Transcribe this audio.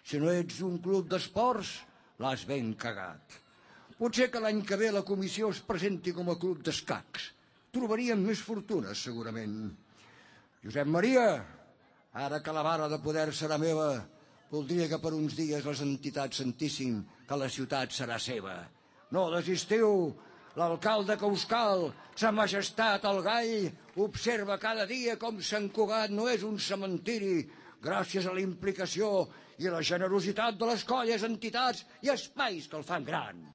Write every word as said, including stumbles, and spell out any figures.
Si no ets un club d'esports, l'has ben cagat. Potser que l'any que ve la comissió es presenti com a club d'escacs. Trobaríem més fortunes, segurament. Josep Maria, ara que la vara de poder serà meva, voldria que per uns dies les entitats sentissin que la ciutat serà seva. No desistiu, l'alcalde que us cal, sa majestat el gall, observa cada dia com Sant Cugat no és un cementiri, gràcies a la implicació i la generositat de les colles, entitats i espais que el fan gran.